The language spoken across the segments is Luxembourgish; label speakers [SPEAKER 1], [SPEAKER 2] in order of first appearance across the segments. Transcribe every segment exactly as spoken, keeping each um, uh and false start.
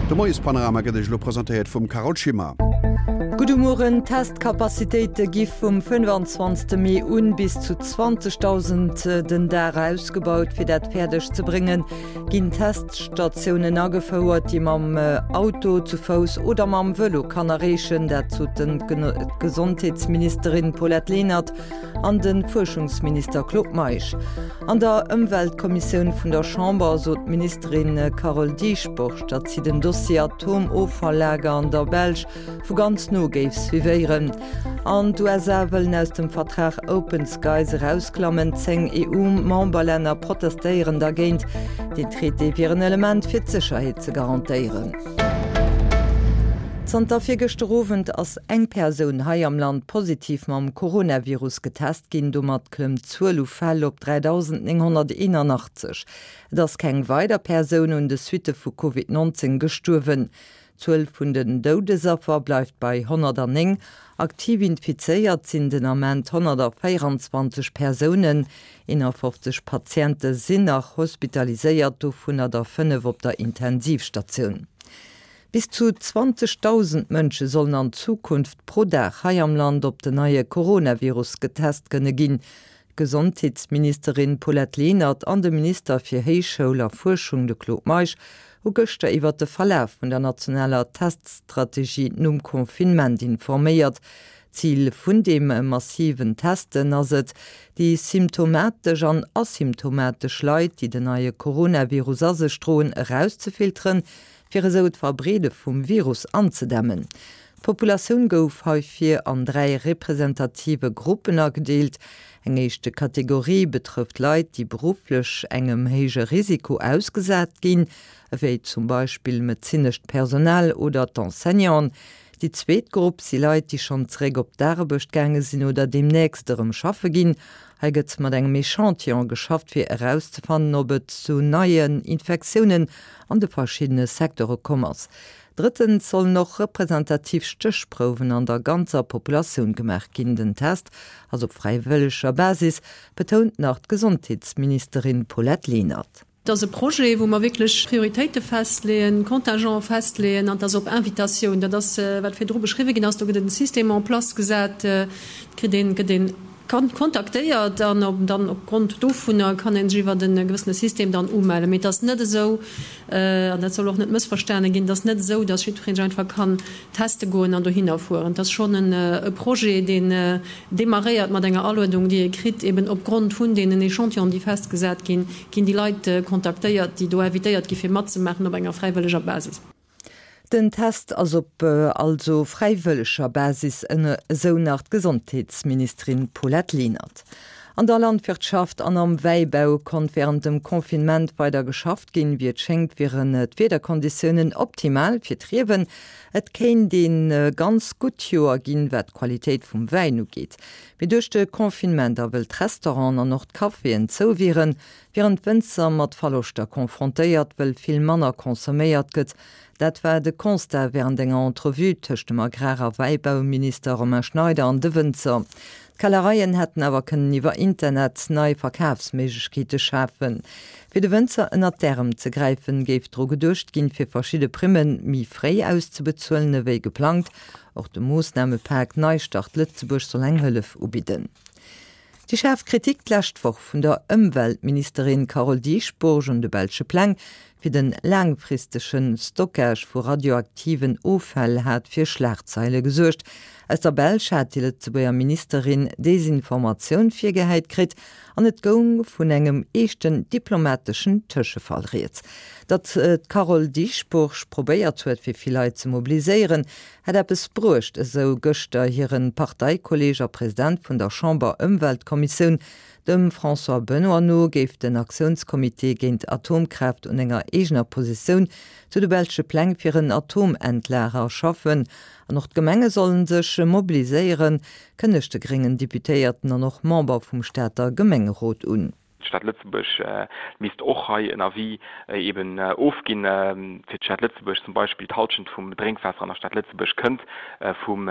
[SPEAKER 1] De Moiespanorama gëtt Iech elo presentéiert vum Carole Schimmer.
[SPEAKER 2] Gudde Mueren, D'Testcapacitéite gi vum fënnefanzwanzegste Mee un bis zu zwanzegdausend den Dag ausgebaut. Fir dat fäerdeg ze bréngen, ginn Teststatiounen agefouert, déi mam Auto, zu Fouss oder mam Vëlo kann erreechen. Dat soten d'Gesondheetsministerin Paulette Lenert an de Fuerschungsminister Claude Meisch. An der Ëmweltkommissioun vun der Chamber sot d'Ministerin Carole Dieschbourg, datt si den Dossier Atomoffalllager an der Belsch vu ganz no géif suivéieren. An d'USA wëllen aus dem Vertrag Open Skies erausklammen. Zéng EU-Memberlänner protestéieren dergéint. Deen Traité wier en Element fir d'Sécherheet ze garantéieren. Zanter virgëschter Owend ass eng Persoun hei am Land positiv mam Coronavirus getest ginn. Domat klëmmt d'Zuel u Fäll op dräidausendnénghonnerteenanachtzeg. Et ass keng weider Persoun un de Suitte vu Covid nonzéng gestuerwen. D'Zuel vun den Doudesaffer bleift bei honnertanneng. Aktiv infizéiert sinn den Ament honnertvéieranzwanzeg Persounen. Eenafofzeg Patiente sinn nach hospitaliséiert, dovunner der fënnef op der Intensivstatioun. Bis zu zwanzegdausend Mënsche sollen an Zukunft pro Dag hei am Land op den neie Coronavirus getest kënne ginn. D'Gesondheetsministerin Paulette Lenert an de Minister fir Héichschoul a Fuerschung, de Claude Meisch, hu gëschter iwwert de Verlaf vun der nationaler Teststrategie nom Confinement informéiert. Zil vun deem massiven Testen ass et, déi symptomatesch an asymptomatesch Leit, déi den neie Coronavirus a sech droen, erauszefilteren, fir esou d'Verbreede vum Virus anzedämmen. D'Populatioun gouf heifir an dräi representative Gruppen agedeelt. Eng éischte Kategorie betrëfft Leit, déi berufflech engem héije Risiko ausgesat ginn, ewéi zum Beispill medezinescht Personal oder d'Enseignanten. Déi zweet Grupp si Leit, déi schonn zeréck op d'Aarbecht gaange sinn oder deemnächst erëm schaffe ginn. Hei gëtt mat engem Echantillon geschafft, fir erauszefannen, ob et zu neien Infektiounen an de verschiddene Secteure komm ass. Drëttens sollen och representativ Stéchprouwen an der ganzer Populatioun gemaach ginn. Den Test ass op fräiwëlleger Basis, betount nach d'Gesondheetsministerin Paulette Lenert.
[SPEAKER 3] Et ass e Projet, wou mer wierklech Prioritéite festleeën, Contingente festleeën, an et ass op Invitatioun. Dat ass, wat virdru beschriwwen ginn ass. Do gëtt en System en place gesat, et kritt een, gëtt een kontaktéiert an op, dann opgrond dovunner kann ee sech iwwert e gewëssene System dann umellen. Mee et ass net esou, an dat soll och net mëssverstane ginn, et ass net esou, datt jiddweree sech einfach kann teste goen an dohinner fueren. Et ass schonn e Projet, deen demarréiert mat enger Aluedung, déi ee kritt, eben opgrond vun deenen Echantillonen, déi festgesat ginn, ginn déi Leit kontaktéiert, déi do invitéiert gi fir matzemaachen op enger fräiwëlleger Basis.
[SPEAKER 2] Den Test ass op also fräiwëlleger Basis, esou nach d'Gesondheetsministerin Paulette Lenert. An der Landwirtschaft an am Wäibau konnt wärend dem Confinement weider geschafft ginn. Wéi et schéngt, wieren d'Wiederkonditiounen optimal fir d'Riewen. Et kéint ee ganz gutt Joer ginn, wat d'Qualitéit vum Wäin ugeet. Mee duerch de Confinement a wëll d'Restauranten an och d'Caféen zou wieren, wieren d'Wënzer mat Verloschter confrontéiert, wëll vill manner consomméiert gëtt. Dat war de Constat wärend enger Entrevue tëscht dem Agrar a Wäibauminister Romain Schneider an de Wënzer. D'Kellereien hätten awer kënnen iwwer Internet nei Verkafsméiglechkeete schafen. Fir de Wënzer ënnert d'Ärem ze gräifen, géif dru geduecht ginn, fir verschidde Primme méi fréi auszebezuelen ewéi geplangt. Och de Moossnamepak Neistart Lëtzebuerg soll eng Hëllef ubidden. Déi schaarf Kritik d'lescht Woch vun der Ëmweltministerin Carole Dieschbourg un de belsche Pläng fir de laangfristege Stockage vu radioaktiven Offäll hat fir Schlagzeile gesuergt. Aus der Belsch hat déi Lëtzebuerger Ministerin Desinformatioun virgehäit kritt an et goung vun engem eeschten diplomateschen Tëschefall rieds. Datt d'Carole Dieschbourg probéiert huet, fir vill Leit ze mobiliséieren, hätt eppes bruecht, esou gëschter hire Parteikolleeg a President vun der Chamber-Ëmweltkommissioun. Dem François Benoy no géif den Aktiounscomité géint Atomkraaft un enger eegener Positioun zu de belsche Pläng fir en Atomendlager schaffen. An och d'Gemenge sollen sech mobiliséieren, kënnegt de gréngen Deputéierten an och Member vum Stater Gemengerot un.
[SPEAKER 4] D'Stad Lëtzebuerg misst och hei en Avis eben ofginn. Fir d'Stad Lëtzebuerg zum Beispill, d'Hallschent vum Drénkwaasser an der Stad Lëtzebuerg kënnt vum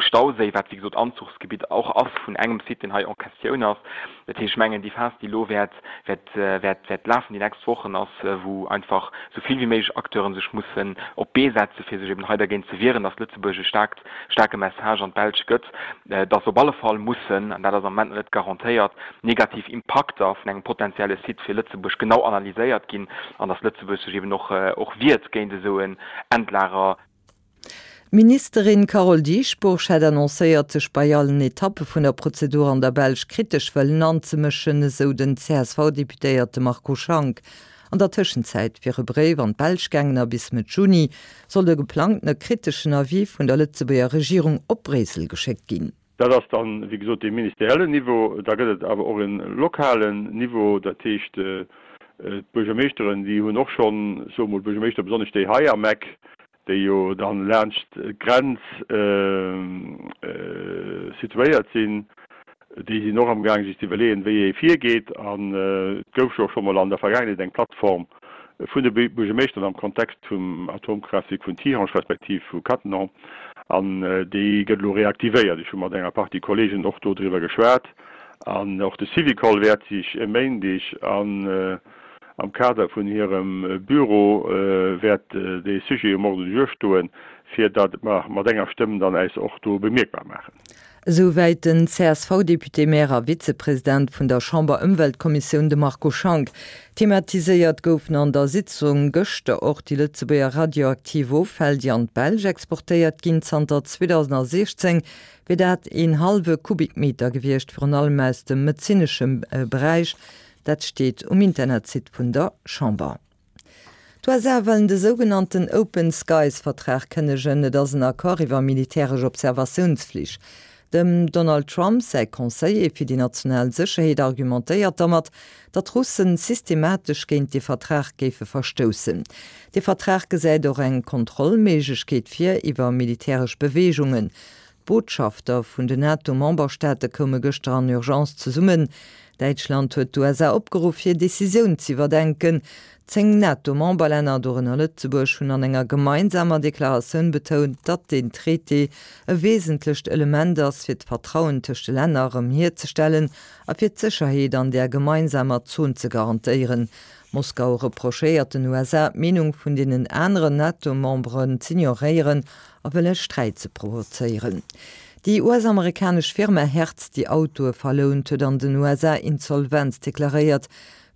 [SPEAKER 4] Stauséi, wat wéi gesot Anzuchsgebitt och ass vun engem Site, deen hei en question ass. Dat heescht, ech mengen, déi Phas, déi elo wäert, wäert, wäert, wäert lafen déi nächst Wochen, ass, wou einfach esou vill wéi méiglech Acteure sech mussen op d'Bee setzen, fir sech eben hei dergéint ze wieren, dass Lëtzebuerg e staarkt, staarke Message an d'Belsch gëtt, dass op alle Fall mussen, an dat ass am Moment nach net garantéiert, negativ Impakter vun engem potenzielle Site fir Lëtzebuerg genau analyséiert ginn an dass Lëtzebuerg sech eben och, och wiert géint esou en Endlager.
[SPEAKER 2] D'Ministerin Carole Dieschbourg hätt annoncéiert, sech bei allen Etappe vun der Prozedur an der Belsch kritesch wëllen anzemëschen, esou den C S V-Deputéierte Marco Schank. An der Tëschenzäit wier e Bréif an d'Belsch gaangen a bis Mëtt Juni soll de geplangtene kriteschen Avis vun der Lëtzebuerger Regierung op Bréissel geschéckt ginn.
[SPEAKER 5] Dat ass dann, wéi gesot, dee ministeriellen Niveau. Da gëtt et awer och e lokalen Niveau, dat heescht d'Buergermeeschteren, déi hunn och schonn, soe mol d'Buergermeeschter, besonnesch déi hei am Eck, déi jo dann laanscht d'Grenz situéiert sinn, déi sinn och amgaang sech ze iwwerleeën, wéi ee virgeet. An et gouf jo och scho mol an der Vergaangenheet eng Plattform vun de Buergermeeschteren am Kontext vum Atomkraaftwierk vun Tihange respektiv vu Cattenom, an déi gëtt elo reaktivéiert. Ech hu mat enger Partie Kollegen och do driwwer geschwat. An och de Syvicol wäert sech e Méindeg an am Kader vun hirem Büro wäert dee Sujet um Ordre du jour stoen, fir datt mer mat enger Stëmm dann äis och do bemierkbar maachen.
[SPEAKER 2] Esouwäit den C S V-Député-Maire a Vizepresident vun der Chamber-Ëmweltkommissioun, de Marco Schank. Thematiséiert goufen an der Sitzung gëschter och déi Lëtzebuerger radioaktiv Offäll, déi an d'Belsch exportéiert ginn. Zanter zweedausendsiechzéng wier dat een hallwe Kubikmeter gewiescht, virun allem aus dem medezinesche Beräich. Dat steet um Internetsite vun der Chamber. D'U S A wëllen de sougenannten Open Skies-Vertrag kënnegen. Et ass en Accord iwwer militäresch Observatiounsflich. Dem Donald Trump säi Conseiller fir déi national Sécherheet argumentéiert domat, datt d'Russen systematesch géint de Vertrag géife verstoussen. De Vertrag gesäit och eng Kontrollméiglechkeet vir iwwer militäresch Beweegungen. D'Botschafter vun den NATO-Memberstaate koume gëschter an Urgence zesummen. Däitschland huet d'U S A opgeruff, hir Decisioun ze iwwerdenken. Zéng NATO-Memberlänner, dorënner Lëtzebuerg, hunn an enger gemeinsamer Deklaratioun betount, datt den Traité e wesentlecht Element ass, fir d'Vertrauen tëscht de Länner erëm hierzestellen a fir d'Sécherheet an der gemeinsamer Zon ze garantéieren. Moskau reprochéiert den U S A, d'Meenung vun deenen aneren NATO-Memberen z'ignoréieren a wëlle Sträit ze provozéieren. Déi U S-amerikanesch Firma Hertz, déi Autoe verlount, huet an den U S A Insolvenz deklaréiert.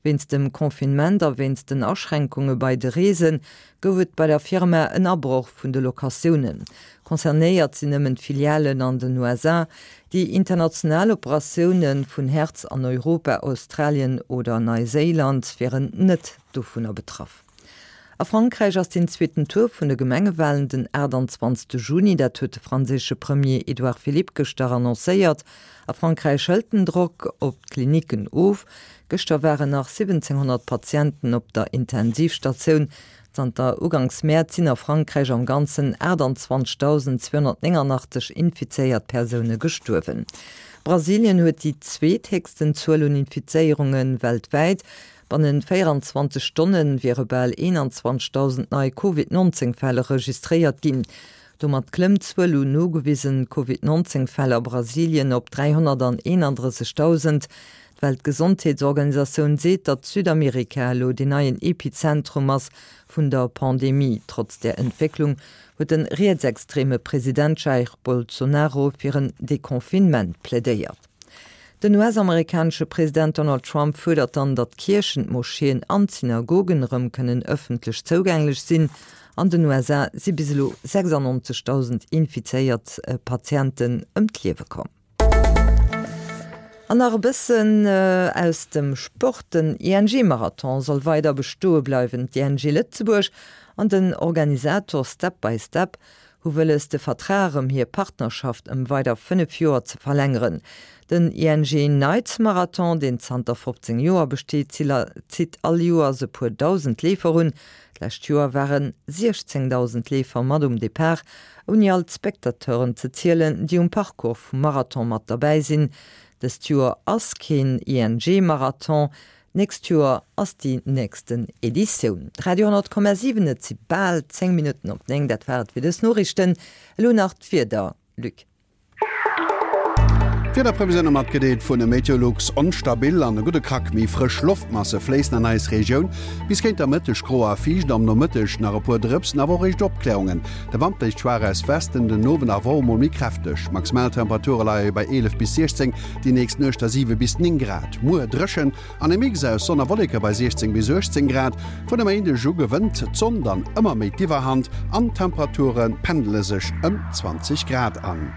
[SPEAKER 2] Wéinst dem Confinement a wéinst den Aschränkunge bei de Reese gouf et bei der Firma en Abroch vun de Locatiounen. Concernéiert sinn nëmmen d'Filialen an den U S A. Déi international Operatioune vun Hertz an Europa, Australien oder Neiséiland wieren net dovunner betraff. A Frankräich ass den zweeten Tour vun de Gemengewalen den aachtanzwanzegste Juni, dat huet de franséische Premier Edouard Philippe gëschter annoncéiert. A Frankräich hëlt den Drock op d'Klinicken of. Gëschter waren nach siwwenzénghonnert Patienten op der Intensivstatioun. Zanter Uganks Mäerz sinn a Frankräich am Ganzen aachtanzwanzegdausend zweehonnertnénganachtzeg infizéiert Persoune gestuerwen. Brasilien huet déi zweethéchsten Zuel un Infizéierunge weltwäit. Bannent véieranzwanzeg Stonne wiere bal eenanzwanzegdausend nei Covid neunzéng Fäll registréiert ginn. Domat klëmmt d'Zuel un nogewisen Covid neunzéng Fäll a Brasilien op dräihonnerteenandrëssegdausend. D'Weltgesondheetsorganisatioun seet, datt Südamerika elo den neien Epizentrum ass vun der Pandemie. Trotz der Entwécklung huet de rietsextreme President Jair Bolsonaro fir en Deconfinement plädéiert. Den U S-amerikanesche President Donald Trump fuerdert dann, datt d'Kierchen, d'Moscheeën an d'Synagogen erëm kënnen ëffentlech zougänglech sinn. An den U S A si bis elo sechsannonzegdausend infizéiert Patienten ëm d'Liewe komm. An nach e bëssen aus dem Sport, Den I N G-Marathon soll weider bestoe bleiwen. D'I N G Lëtzebuerg an den Organisator Step by Step hu wëlles de Vertrag ëm hir Partnerschaft ëm weider fënnef Joer ze verlängeren. Den I N G Nights Marathon, deen zanter fofzéng Joer besteet, zitt all Joers e puer dausend Leefer un. D'lescht Joer ware siechzéngdausend Leefer mat um Depart, ouni all d'Spectateuren ze zielen, déi um Parcours vum Marathon mat derbäi sinn. Dëst Joer ass keen ING-Marathon, d'nächst Joer ass déi nächsten Editioun. Radio honnert Komma siwen Et si bal zéng Minutten op néng, dat war et fir dës Noriichten. Elo nach d'Wieder, Luc.
[SPEAKER 1] D'Wiederprevisioune matgedeelt vun Meteolux, Onstabil an e gudde Krack méi frësch Loftmasse fléissen an eis Regioun. Bis géint der Mëtteg gro a fiicht, am Nomëtteg nach e puer Drëpsen, awer och éischt Opkläerungen. De Wand bléist schwaach aus Westen, den Owend awer och emol méi kräfteg. Maximaltemperature leie bei eelef bis siechzéng, déi nächst Nuecht da siwe bis néng Grad. Muer dréchen an e Mix aus Sonn a Wolleke bei siechzéng bis uechtzéng Grad. Vun e Méindeg u gewënnt d'Sonn dann ëmmer méi d'Iwwerhand an d'Temperature pendele sech ëm zwanzeg Grad an.